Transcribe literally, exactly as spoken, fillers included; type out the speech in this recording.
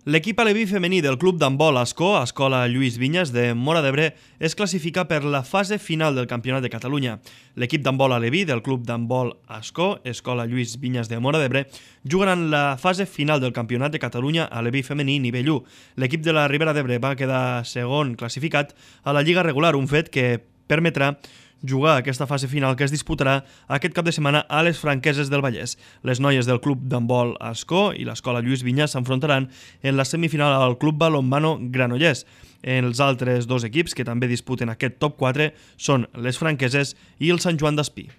L'equip aleví femení del club d'handbol Ascó, Escola Lluís Vinyes de Móra d'Ebre, es classifica per la fase final del Campionat de Catalunya. L'equip d'handbol aleví del club d'handbol Ascó, Escola Lluís Vinyes de Móra d'Ebre, jugaran la fase final del Campionat de Catalunya aleví femení nivell u. L'equip de la Ribera d'Ebre va quedar segon classificat a la lliga regular, un fet que permetrà jugar aquesta fase final que es disputarà aquest cap de setmana a les Franqueses del Vallès. Les noies del club d'handbol Ascó i l'Escola Lluís Vinyes s'enfrontaran en la semifinal al club balonmano Granollers. Els altres dos equips que també disputen aquest top quatre són les Franqueses i el Sant Joan d'Espí.